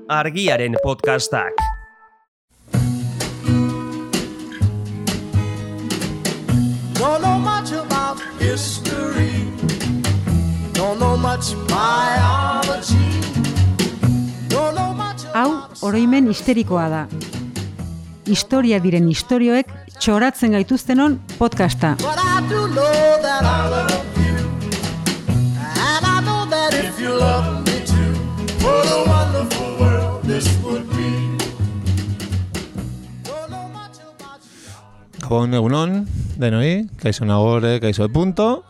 Argiaren podcastak. Don't know much about history. Don't know much biology. Don't know much Hau, oroimen histerikoa da. Historia diren istorioek txoratzen gaituztenon podcasta. But I do know that I love you. And I know that if you love me too, what a wonderful world this would be. Don't know much about you. Gabon egunon, denoi, kaixo nagore, kaixo de punto.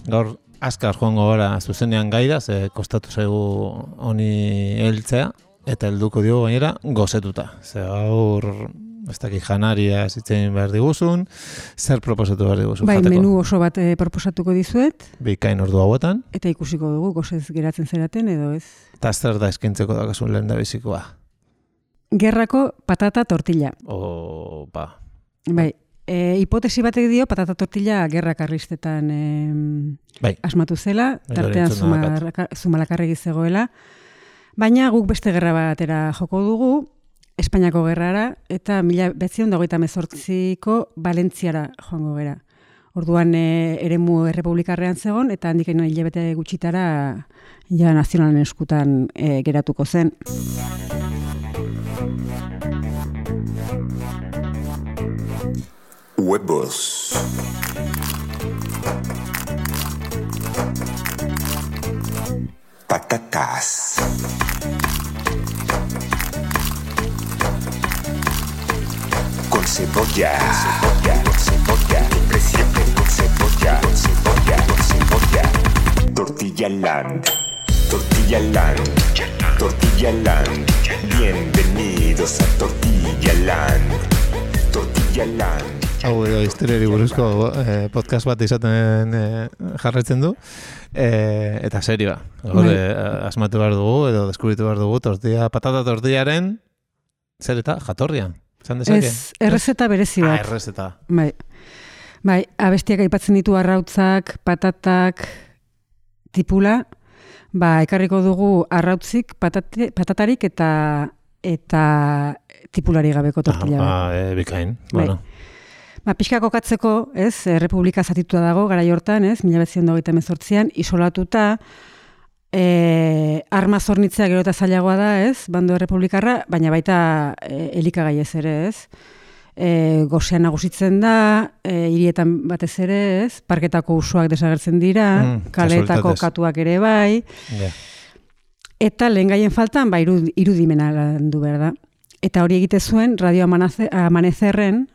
Gaur azkar joango gara zuzenean gaira, ze kostatu zaigu honi heltzea, eta helduko diogu gainera gozetuta. Ze gaur, ez dakit janaria zitzen behar diguzun, zer proposatu behar diguzun Bai, jateko? menu oso bat proposatuko dizuet, Bikain ordu hauetan, eta ikusiko dugu gozez geratzen zeraten edo ez. eta zer da eskintzeko dakasun lehen da bizikoa. Gerrako patata tortilla. Opa. Bai, hipotesi batek dio patata tortilla gerra karlistetan Bai. asmatu zela, Bai, tartean hori entzun Zumalakarregi zegoela, baina guk beste gerra batera joko dugu, Espainiako gerrara, eta 1928ko Valentziara joango gera. Orduan eremu errepublikarrean zegon, eta handik hilabete gutxitara ja nazionalen eskutan geratuko zen. Huevos. Patatas. Con cebolla. Siempre con cebolla. Tortilla Land. Tortilla Land. Tortilla Land. Bienvenidos a Tortilla Land. Tortilla Land. Hau edo historiari buruzko podcast bat izaten jarraitzen du, eta serioa. Asmatu behar dugu, edo deskubritu behar dugu, patata tortillaren, zer eta jatorria? Zan dezake? Ez, errezeta berezi bat. Errezeta. Bai, abestiak aipatzen ditu arrautzak, patatak, tipula, ekarriko dugu arrautzik, patatarik eta tipulari gabeko tortilla bat. Bikain, Bai. bueno. Pixka kokatzeko, ez, Republika zatitua dago, garai hortan, ez, 1928an, isolatuta, arma zornitzea gero eta zailagoa da, ez, bando republikarra, baina baita elikagai ez ere, ez. Gosean nagusitzen da, hirietan batez ere, ez, parketako usoak desagertzen dira, kaleetako katuak ere bai, eta lehen gaien faltan, irudimena landu behar da. Eta hori egite zuen, Radio Amanezerren,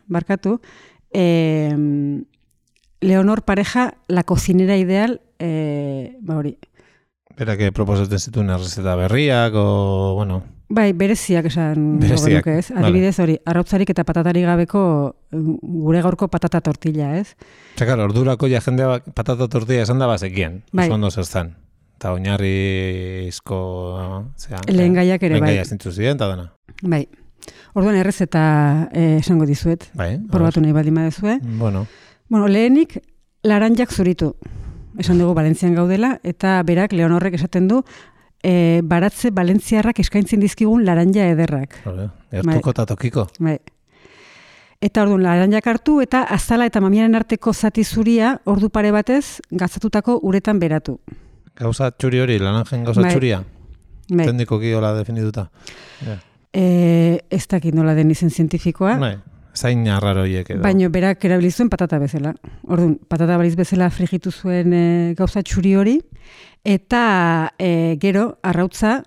Leonor Pareja, la cocinera ideal, hori. Berak proposatzen zituen errezeta berriak, o, bueno... Bai, bereziak esan Bereziak, genuke, ez? Adibidez hori, arrautzarik eta patatari gabeko gure gaurko patata tortilla, ez? Txakar, ordurako ja jendea patata tortilla esan da bazekien, Bai. oso ondo zertan. Eta oinarrizko... Lehen gaiak ere, bai. Lehen gaiak zintzu ziren, eta dana. Bai. Orduan errezeta esango dizuet. Bai. Probatu nahi baldin baduzue. Bueno, lehenik, laranjak zuritu. Esan dugu Valentzian gaudela, eta berak Leonorrek esaten du, baratze valentziarrak eskaintzen dizkigun laranja ederrak. gertuko eta tokiko. Bai. Eta orduan, laranjak hartu, eta azala eta mamiaren arteko zati zuria, ordu pare batez, gatzatutako uretan beratu. Gauza txuri hori, laranjen gauza Bai. txuria. Bai. Teknikoki hola definituta. Ez dakit nola den izen zientifikoa, Bai, zain arraro hiek edo. baina berak erabili zuen patata bezala. Orduan, patata baliz bezala frigitu zuen gauza txuri hori, eta gero, arrautza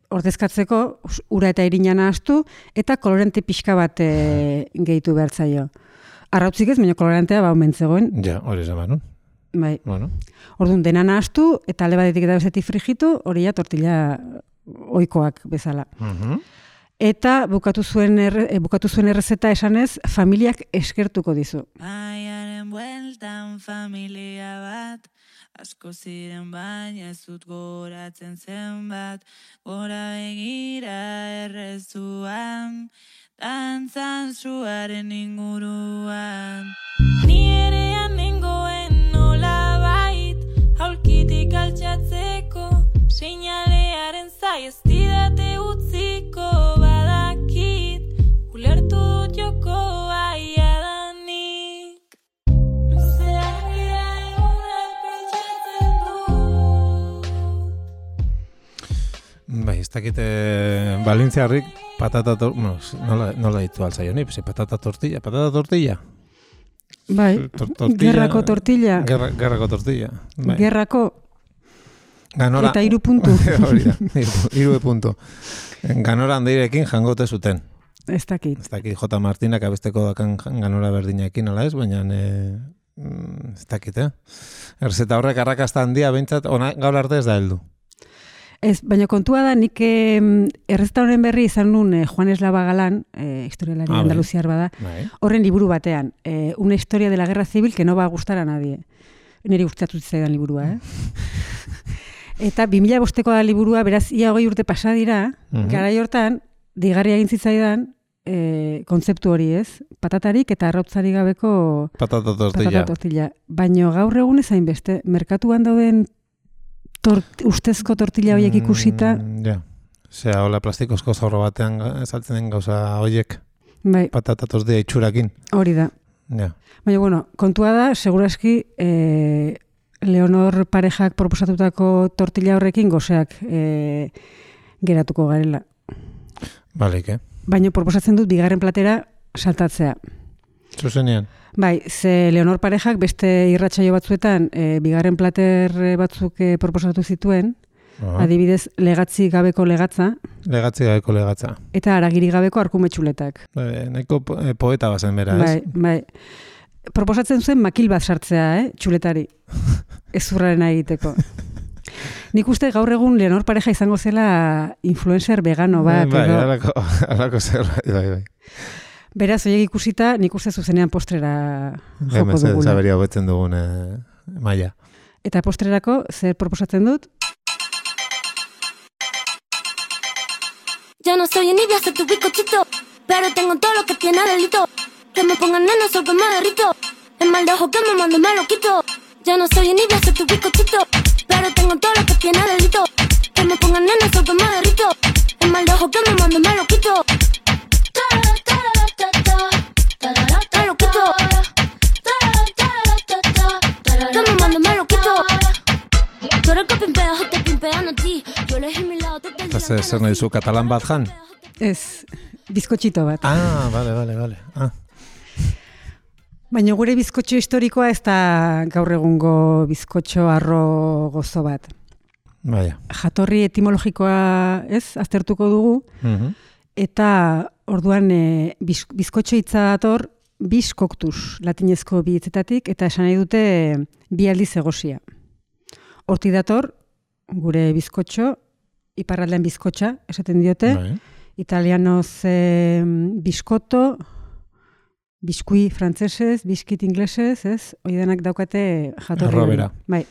ordezkatzeko ura eta irina nahastu, eta kolorante pixka bat gehitu behar zaio. Arrautzik ez, baina kolorantea omentzegoen. Ja, hori esan nun. Bai. Bueno, Orduan, dena nahastu, eta alde batetik eta bestetik frigitu, hori ja tortilla ohikoak bezala. Eta bukatu zuen errezeta esanez, familiak eskertuko dizu. Baiaren bueltan familia bat, asko ziren baina ez dut goratzen zenbat, gora begira errezuan, dantzan zuaren inguruan. Ni erean nengoen nolabait, aulkitik altxatzeko, seinalearen zai ez didate Bai, ez dakite balintziarrik patata nola ditu altzaioni, patata tortilla. Bai, gerrako tortilla. Gerrako tortilla. Bai. Gerrako Ganora, eta 3 puntu. Hori da, 3 puntu. Ganora handeirekin jangote zuten. Ez dakit. Ez dakit, J. Martinak abesteko dakan ganora berdinekin, ala ez, baina ez dakit, Erzeta horrek arrakasta handia behintzat, gaur arte ez da heldu. Ez, baina kontua da, nik errezeta honen berri izan nun Juan Eslava Galán, historialari andaluziar bada, horren liburu batean, una historia de la guerra civil que no va a gustar a nadie. Niri gustatu zaidan liburua, Eta 2005ko da liburua, beraz, ia 20 urte pasa dira, garai hortan, deigarria egin zitzaidan, kontzeptu hori ez, patatarik eta arrautzari gabeko patata tortilla. Baina gaur egun ezain beste, merkatuan dauden ustezko tortilla horiek ikusita. Ja, hola plastikozko zorro batean saltzen den gauza horiek, bai. Patata tortilla itxurakin. Hori da. Ja. Baina, bueno, kontua da, seguraski, Leonor parejak proposatutako tortilla horrekin goseak geratuko garela. Baleik, Baina proposatzen dut bigarren platera saltatzea. Zuzenean? Bai, ze Leonor parejak beste irratsaio batzuetan bigarren plater batzuk proposatu zituen, adibidez legatzi gabeko legatza. Legatzi gabeko legatza. Eta haragiri gabeko arkumetxuletak. Nahiko poeta bazen bera, ez? Bai. Proposatzen zuen makil bat sartzea, txuletari. Ezurrarena egiteko. Nik uste gaur egun Leonor pareja izango zela influencer vegano bat. Bai, alako zerbait, bai. Beraz, oiek ikusita, nik uste zuzenean postrera joko dugula. Zaberia hobetzen dugun maila. Eta postrerako, zer proposatzen dut? Ya no soy envidia, soy tu bizcochito, pero tengo todo lo que tiene delito. Que me pongan neno, sol que me derrito. El mal de ojo que me mando me lo quito. Ya no soy envidia, soy tu bizcochito, pero tengo todo lo que tiene delito. Que me pongan neno, sol que me derrito. El mal de ojo que me mando me lo quito. Me lo quito. Que me mando me lo quito. Tú eres que pimpeas o te pimpean a ti. Yo elegí mi lado, tú te dices. Zer nahi zu, katalan bat jan? Ez, bizkotxito bat. Vale. Baina gure bizkotxo historikoa ez da gaur egungo bizkotxo arro gozo bat. Baina. Jatorri etimologikoa aztertuko dugu, eta orduan bizkotxo hitza dator bis coctus, latinezko bi hitzetatik, eta esan nahi dute bi aldiz egosia. Hortik dator, gure bizkotxo, iparraldean bizkotxa, esaten diote, italianoz biskotto, biskui frantzesez, biskit inglesez, oidanak daukate jatorri. Errobera. Bai.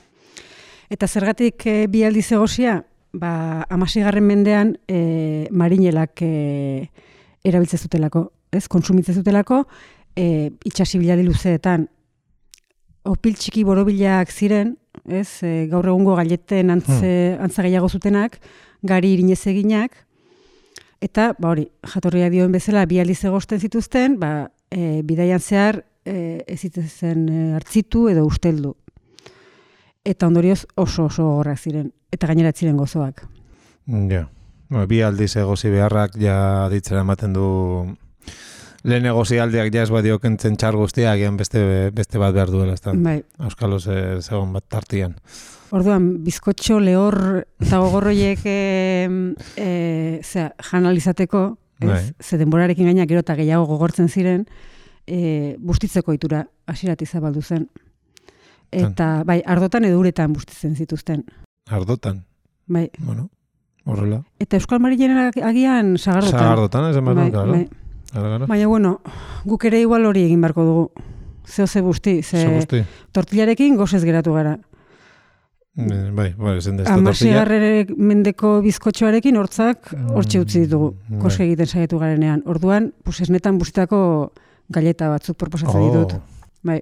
Eta zergatik bi aldiz egosia, 16. mendean marinelak erabiltzen zutelako, kontsumitzen zutelako, itxasibilari luzeetan. Opil txiki borobilak ziren, gaur egungo gaileten antza gehiago zutenak, gari irinez eginak, eta hori, jatorria dioen bezala bi aldiz egosten zituzten, bidaian zehar ez zitezen hartzitu edo usteldu. Eta ondorioz oso gogorrak ziren, eta gainera ziren gozoak. Ja, bi aldiz egozi beharrak ja ditzera ematen du lehen egozi aldiak ja ez badio kentzen txar guztiak, beste bat behar duela, ez da? Bai. Auskaloz zegoen bat tartian. Orduan, bizkotxo, lehor eta gogorroiek janalizateko, ze denborarekin gaina gero eta gehiago gogortzen ziren, bustitzeko itura hasiratik zabaldu zen. Eta, ardotan edo uretan bustitzen zituzten. Ardotan? Bai. Bueno, horrela. Eta Euskal Marinen agian sagardotan. Sagardotan, ez emar claro. Baina, bueno, guk ere igual hori egin barko dugu. Ze busti, tortillarekin gozez geratu gara. Bai, zen da tortilla. 16. mendeko bizkotxoarekin hortzak hortxe utzi ditugu, koske egiten saietu garenean. Orduan, esnetan bustitako galleta batzuk proposatzen ditut. Bai.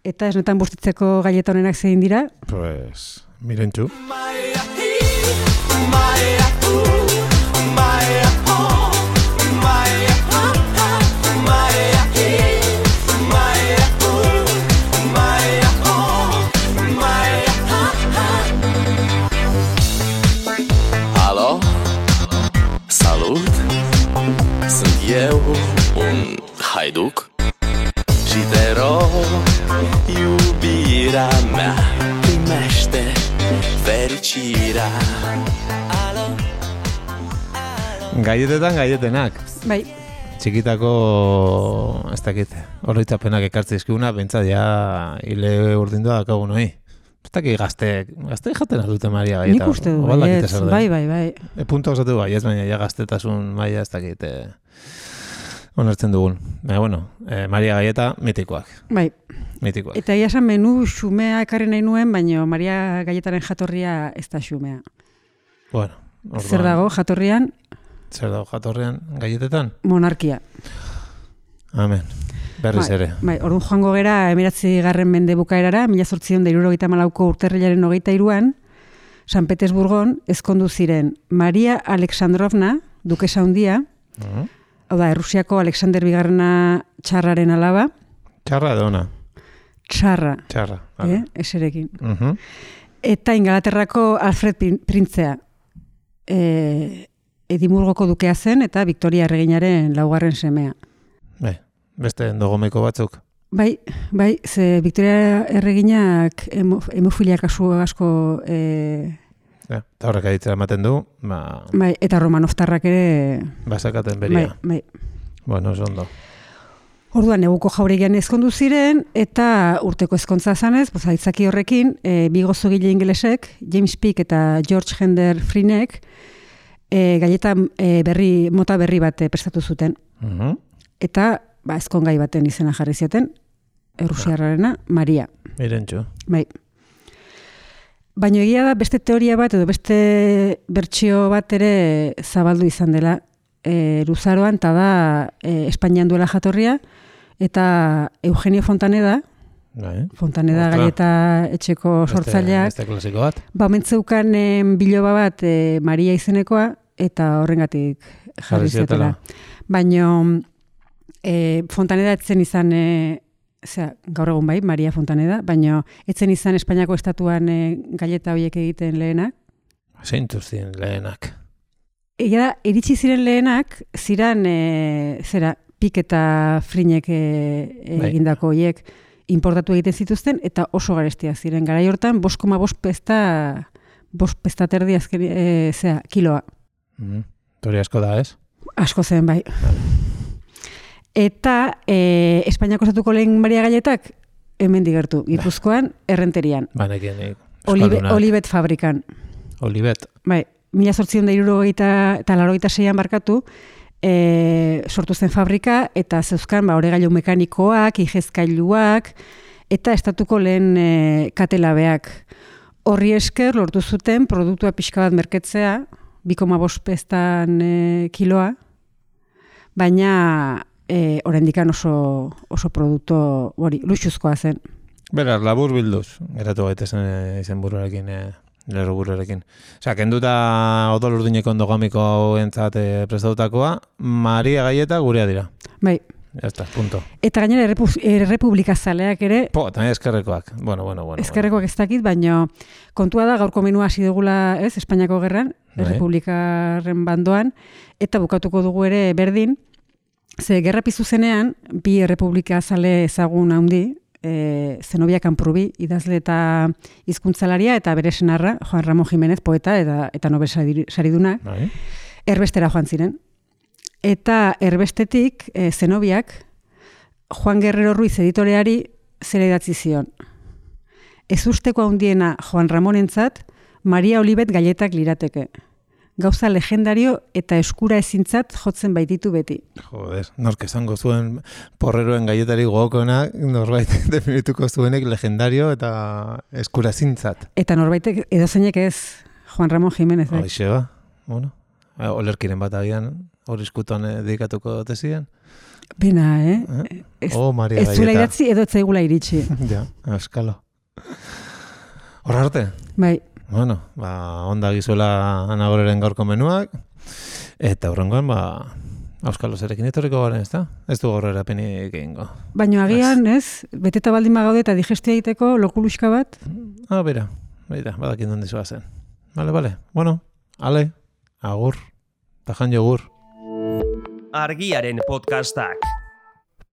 Eta esnetan bustitzeko galleta honenak zein dira? Pues, mirentxu. Aló? eu un haiduc și te rog, iubirea mea, primește fericirea. Alo, Gaietetan gaietenak. Bai, Txikitako, ez dakit, oroitzapenak ekartze izkiguna, bentsat ja hile urdindua dakagu noi. Ez dakit gazte jaten aldute Maria gaieta. nik uste du, O baldakite baietz, zer den. bai. Punto osatu baietz, baina ja gaztetasun maila ez dakit onartzen dugun. Baina, bueno, Maria gaieta mitikoak. Bai, Mitikoak. eta egia esan menu xumea ekarri nahi nuen, baina Maria Gaietaren jatorria ez da xumea. Bueno, orduan, Zer dago jatorrian? Zer dago jatorrean gaietetan? Monarkia. Amen. Berriz ere. Bai, orduan joango gera 19. mende bukaerara, 1874ko urtarrilaren 23an, San Petersburgon ezkondu ziren Maria Alexandrovna, dukesa handia, hau da, Errusiako Alexander Bigarrena txarraren alaba, Txarra edo ona? txarra, Vale. eserekin. Mhm. Eta Ingalaterrako Alfred Printzea, Edimburgoko dukea zen eta Victoria erreginaren laugarren semea. Bai, beste endogomiko batzuk. Bai, ze Victoria erreginak hemofilia kasu asko Ja, eta horrek aditzera ematen du, bai, eta Romanovtarrak ere basakaten beria. bai. Bueno, oso ondo. Orduan neguko jauregian ezkondu ziren eta urteko ezkontza zanez, aitzaki horrekin, bi gozogile ingelesek, James Peake eta George Hender Freenek, gaieta mota berri bat prestatu zuten. Eta ezkongai baten izena jarri zioten, Errusiarrarena, Maria. Irentxu. Bai. Baina egia da beste teoria bat edo beste bertsio bat ere zabaldu izan dela luzaroan, eta da Espainian duela jatorria, eta Eugenio Fontaneda, Fontaneda gaieta etxeko sortzaileak, Beste klasiko bat. mentzeukan biloba bat Maria izenekoa, eta horrengatik jarri ziotela. Baina Fontaneda etzen izan, gaur egun bai, Maria Fontaneda, baina etzen izan Espainiako estatuan gaieta horiek egiten lehenak. Zeintu ziren lehenak. Egia da, iritsi ziren lehenak, ziren, Pik eta Frinek egindako horiek importatu egiten zituzten, eta oso garestia ziren. Garai hortan, 5,5 pesta terdi azken, kiloa. Tori asko da, ez? Asko zen, bai. Eta Espainiako estatuko lehen Maria gaietak hemen digertu, Gipuzkoan, Errenterian. Banekin, Olibet fabrikan. Olibet. Bai, 1876an barkatu, sortu zen fabrika, eta zeuzkan oregailu mekanikoak, igezkailuak, eta estatuko lehen katelabeak. Horri esker lortu zuten produktua pixka bat merketzea, 2,5 pestan kiloa, baina oraindikan oso produktu hori luxuzkoa zen. Beraz, labur bilduz, geratu gaitezen izen buruarekin, lerro buruarekin. Osea, kenduta odol urdineko endogamiko hauentzat prestatutakoa, Maria gaieta gurea dira. Bai. Ya está, punto. Eta gainera Errepublika zaleak ere... También eskerrekoak. Bueno. Eskerrekoak ez dakit, baina kontua da gaurko menua hasi dugula, ez, Espainiako gerran, Errepublikarren bandoan, eta bukatuko dugu ere berdin, ze gerra pizu zenean, bi Errepublika zale ezagun handi, Zenobia Kanprubi, idazle eta hizkuntzalaria, eta bere senarra, Juan Ramón Jiménez, poeta eta Nobel sariduna, erbestera joan ziren. Eta erbestetik, Zenobiak, Juan Guerrero Ruiz editoreari zer idatzi zion. Ez usteko handiena Juan Ramonentzat, Maria Olibet gaietak lirateke. Gauza legendario eta eskura ezintzat jotzen baititu beti. Joder, nork esango zuen porreroen gaietari gogokoenak, norbait definituko zuenek legendario eta eskura ezintzat. Eta norbaitek edozeinek ez, Juan Ramón Jiménez. Hoxe ba, bueno, olerkiren bat agian, hori eskutuan dedikatuko tezian. Bena, Maria ez zuela idatzi edo etzaigula iritsi. Ja, eskalo. Horra arte? Bai. Bueno, onda gizuela Anagoreren gaurko menuak, eta horrengoan, Auskalo zerekin etorriko garen, ez da? Ez du gorrera penik egingo. Baina agian, ez? Beteta baldin bagaude eta digestia egiteko lokuluxka bat? Bera, badakin dondi zoa zen. Vale. Bueno, ale, agur, tajan jogur. Argiaren podcastak.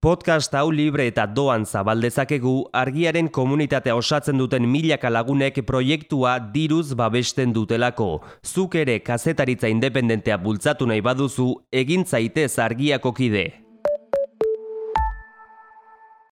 Podcast hau libre eta doan zabaldezakegu Argiaren komunitatea osatzen duten milaka lagunek proiektua diruz babesten dutelako. Zuk ere kazetaritza independentea bultzatu nahi baduzu, egin zaitez Argiako kide.